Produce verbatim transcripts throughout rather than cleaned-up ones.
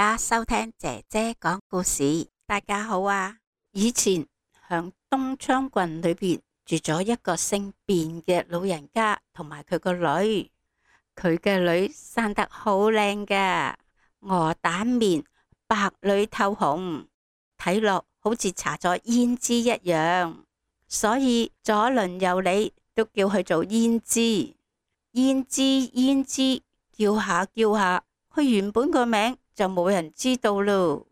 家收聽姐姐講故事。大家好啊！以前響東昌郡裏邊住咗一個姓卞嘅老人家同埋佢個女，佢嘅女生得好靚㗎，鵝蛋面，白裏透紅，睇落好似搽咗胭脂一樣，所以左鄰右里都叫佢做胭脂。胭脂胭脂叫下叫下，佢原本個名就冇人知道咯。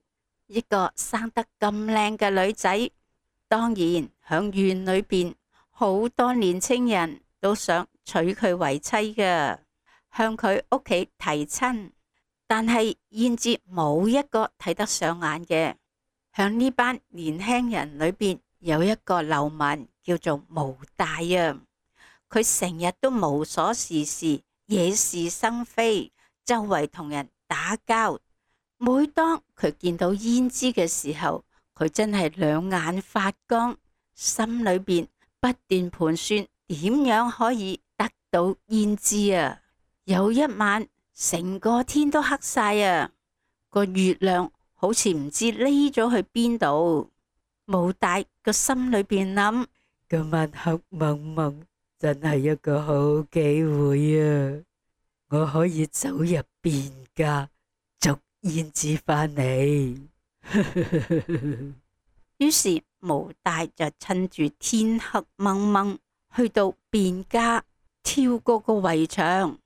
一個生得咁靚嘅女仔，當然響縣裏邊好多年青人都想娶佢為妻㗎，向佢屋企提親，但係胭脂冇一個睇得上眼嘅。響呢班年輕人裏邊有一個流民叫做毛大啊，佢成日都無所事事，惹是生非，周圍同人打交。每當佢見到胭脂嘅時候，佢真係兩眼發光，心裏邊不斷盤算點樣可以得到胭脂啊。有一晚，成個天都黑晒啊，個月亮好似唔知匿咗去邊度。毛大個心裏邊諗：今晚黑蒙蒙，真係一個好機會啊！我可以走入卞家，捉胭脂返嚟。於是毛大就趁住天黑蒙蒙，去到卞家，跳過個圍牆，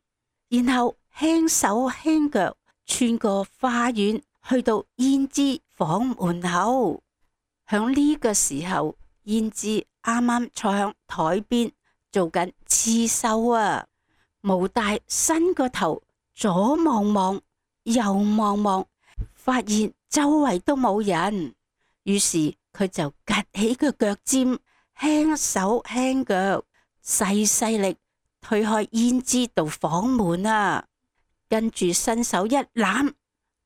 然後輕手輕腳穿過花園，去到胭脂房門口。響呢個時候，胭脂啱啱坐響台邊做緊刺繡啊。毛大伸個頭左望望右望望，發現周圍都冇人，於是佢就趷起個腳尖，輕手輕腳細細力推開胭脂道房門啊，跟住伸手一攬，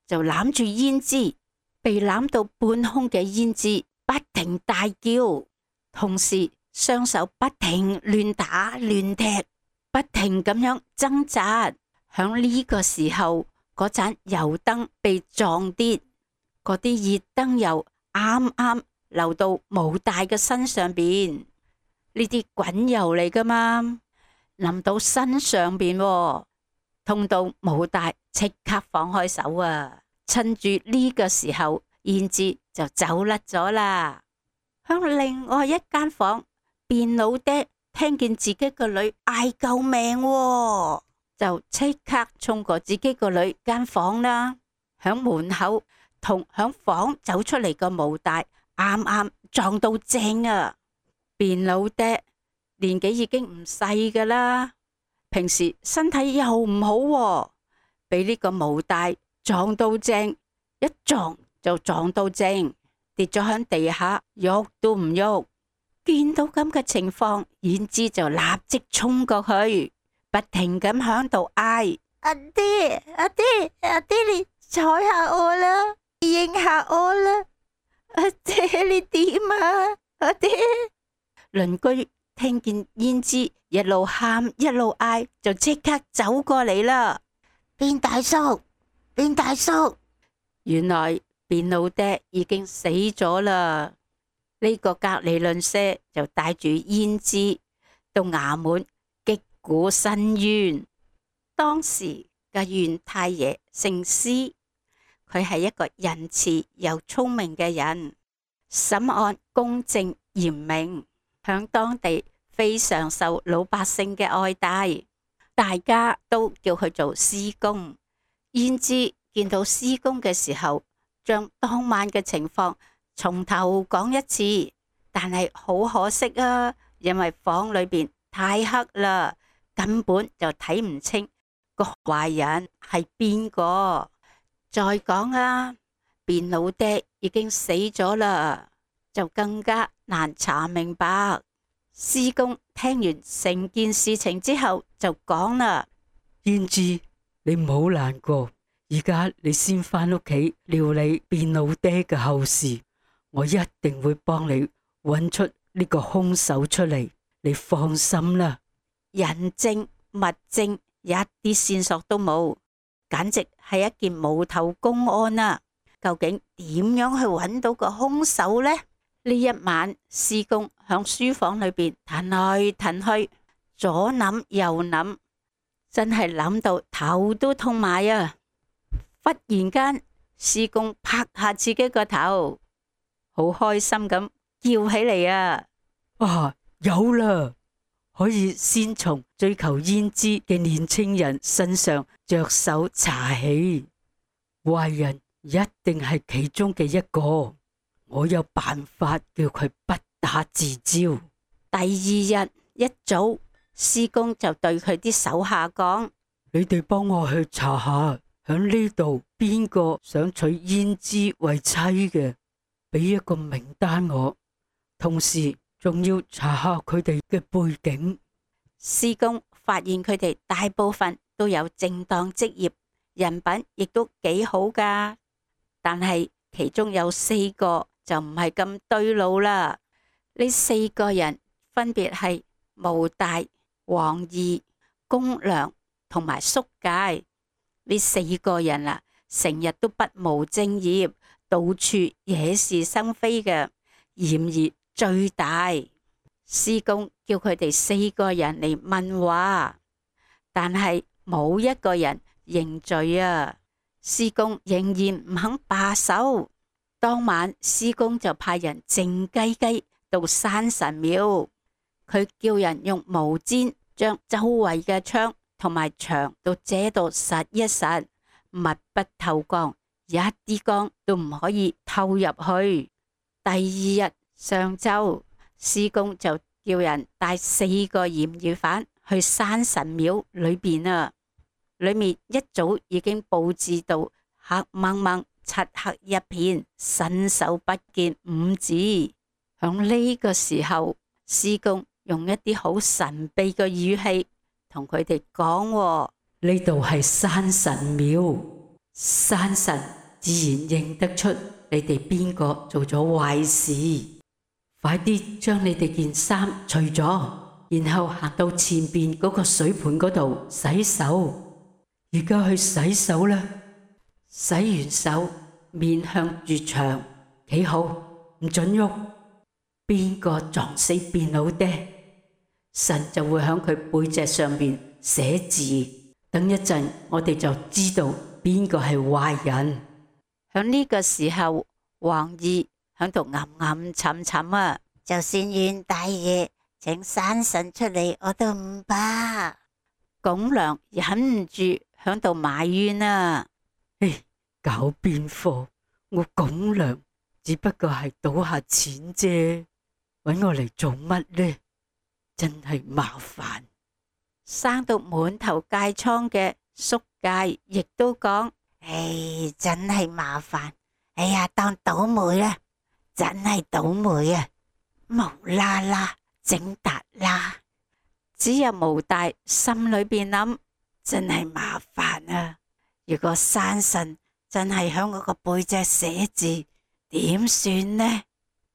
就攬住胭脂。被攬到半空嘅胭脂不停大叫，同時雙手不停亂打亂踢，不停咁樣掙扎。響呢個時候，嗰盞油燈被撞跌，嗰啲熱燈油啱啱流到毛大嘅身上邊。呢啲滾油嚟噶嘛，淋到身上邊，痛到毛大即刻放開手啊！趁住呢個時候，胭脂就走甩咗啦。響另外一間房，卞老爹聽見自己個女嗌救命喎，就即刻衝過自己個女間房啦。響門口同響房走出嚟個毛大啱啱撞到正啊！卞老爹年紀已經唔細噶啦，平時身體又唔好喎，俾呢個毛大撞到正，一撞就撞到正，跌咗喺地下，喐都唔喐。見到咁嘅情況，胭脂就立即衝過去，不停咁響度嗌：阿爹，阿爹，阿爹，你睬下我啦，應下我啦！阿爹，你點啊？阿爹！鄰居聽見胭脂一路喊一路嗌，就即刻走過嚟啦。卞大叔，卞大叔，原來卞老爹已經死咗啦。呢個隔籬鄰舍就帶住胭脂到衙門擊鼓申冤。當時嘅縣太爺姓施，佢係一個仁慈又聰明嘅人，審案公正嚴明，響當地非常受老百姓嘅愛戴，大家都叫佢做施公。胭脂見到施公嘅時候，將當晚嘅情況從頭講一次，但係好可惜啊，因為房裏邊太黑啦，根本就睇唔清個壞人係邊個。再講啊，卞老爹已經死咗啦，就更加難查明白。施公聽完成件事情之後就講啦：胭脂，你唔好難過，而家你先返屋企料理卞老爹嘅後事，我一定會幫你揾出呢個兇手出嚟，你放心啦。人證物證一啲線索都冇，簡直係一件無頭公案啊！究竟點樣去揾到個兇手呢？呢一晚，師公響書房裏邊騰來騰去，左諗右諗，真係諗到頭都痛埋啊！忽然間，師公拍下自己個頭，好開心咁叫起嚟啊！啊，有啦！可以先從追求胭脂嘅年青人身上着手查起，壞人一定係其中嘅一個。我有辦法叫佢不打自招。第二日一早，師公就對佢啲手下講：你哋幫我去查下，響呢度邊個想娶胭脂為妻嘅，俾一個名單我。同時仲要查下佢哋嘅背景。師公發現佢哋大部分都有正當職業，人品亦都幾好噶，但係其中有四個就唔係咁對路啦。呢四個人分別係毛大、王二、公良同埋叔介。呢四個人啊，成日都不務正業，到處惹是生非嘅，嫌疑最大。師公叫佢哋四個人嚟問話，但係冇一個人認罪啊！師公仍然唔肯罷手。當晚，師公就派人靜雞雞到山神廟，佢叫人用毛氈將周圍嘅窗同埋牆都遮到實一實，密不透光，一啲光都唔可以透入去。第二日上晝，師公就叫人帶四個嫌疑犯去山神廟裏邊啊，裏面一早已經布置到黑掹掹、漆黑一片，伸手不見五指。響呢個時候，師公用一啲好神秘嘅語氣同佢哋講：呢度係山神廟，山神自然認得出你哋邊個做咗壞事。快啲將你哋件衫除咗，然後行到前邊嗰個水盆嗰度洗手。而家去洗手啦！洗完手，面向住牆，企好，唔准喐。邊個撞死變老爹，神就會響佢背脊上邊寫字。等一陣，我哋就知道邊個係壞人。響呢個時候，王二響度吟吟沉沉啊！就算袁大爺請山神出嚟，我都唔怕。公良忍唔住響度埋怨啊！唉，搞邊科？我公良只不過係賭下錢啫，搵我嚟做乜呢？真係麻煩。生到滿頭疥瘡嘅叔介亦都講：唉，真係麻煩。哎呀，當倒霉啦，真係倒霉啊！無啦啦整達啦，只有毛大心裏邊諗：真係麻煩啊！如果山神真係響我個背脊寫字，點算呢？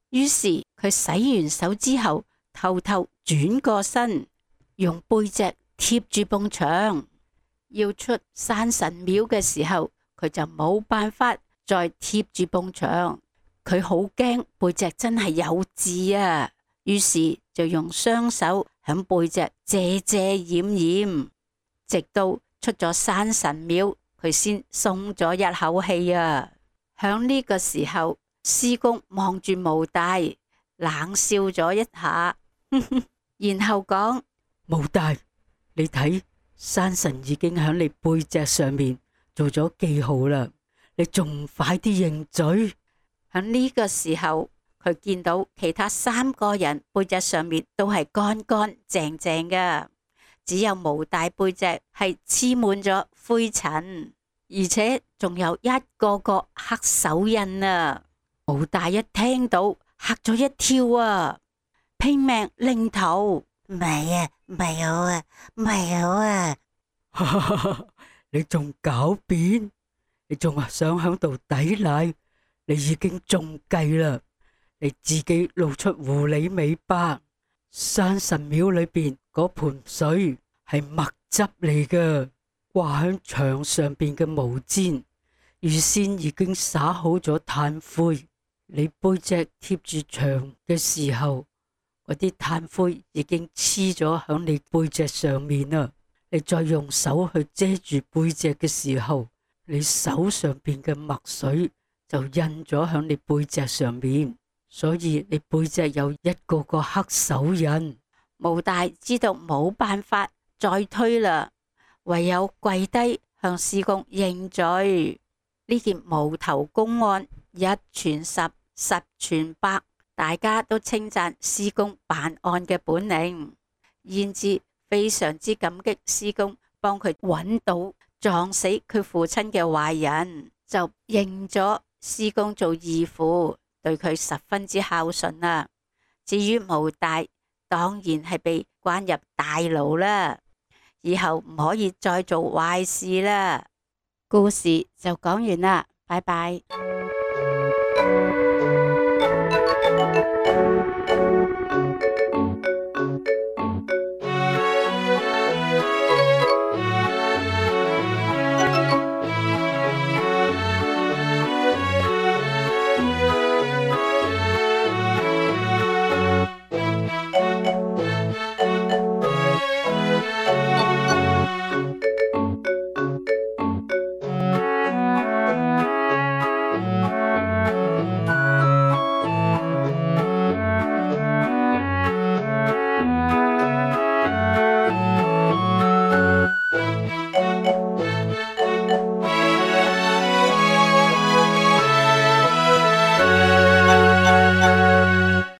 於是佢洗完手之後，偷偷轉過身，用背脊貼住埲牆。要出山神廟嘅時候，佢就冇辦法再貼住埲牆。佢好驚背脊真係有字啊，於是就用雙手響背脊遮遮掩掩，直到出咗山神廟，佢先鬆咗一口氣啊。響呢個時候，師公望住毛大，冷笑咗一下，呵呵，然後講：毛大，你睇，山神已經響你背脊上面做咗記號啦，你仲唔快啲認罪？喺呢個時候，佢見到其他三個人背脊上面都係乾乾淨淨嘅，只有毛大背脊係黐滿咗灰塵，而且仲有一個個黑手印啊！毛大一聽到嚇咗一跳啊，拼命擰頭：唔係啊，唔係我啊，唔係我啊！你仲狡辯？你仲話想響度抵賴？你已經中計啦！你自己露出狐狸尾巴。山神廟裏邊嗰盆水係墨汁嚟噶，掛喺牆上邊嘅毛氈，預先已經灑好咗炭灰。你背脊貼住牆嘅時候，嗰啲炭灰已經黐咗喺你背脊上面啦。你再用手去遮住背脊嘅時候，你手上邊嘅墨水就印咗喺你背脊上面，所以你背脊有一個個黑手印。毛大知道冇辦法再推啦，唯有跪低向師公認罪。呢件無頭公案一傳十，十傳百，大家都稱讚師公辦案嘅本領，燕子非常之感激師公幫佢揾到撞死佢父親嘅壞人，就認咗師公做義父，對佢十分之孝順啦。至於毛大，當然係被關入大牢啦，以後唔可以再做壞事啦。故事就講完啦，拜拜。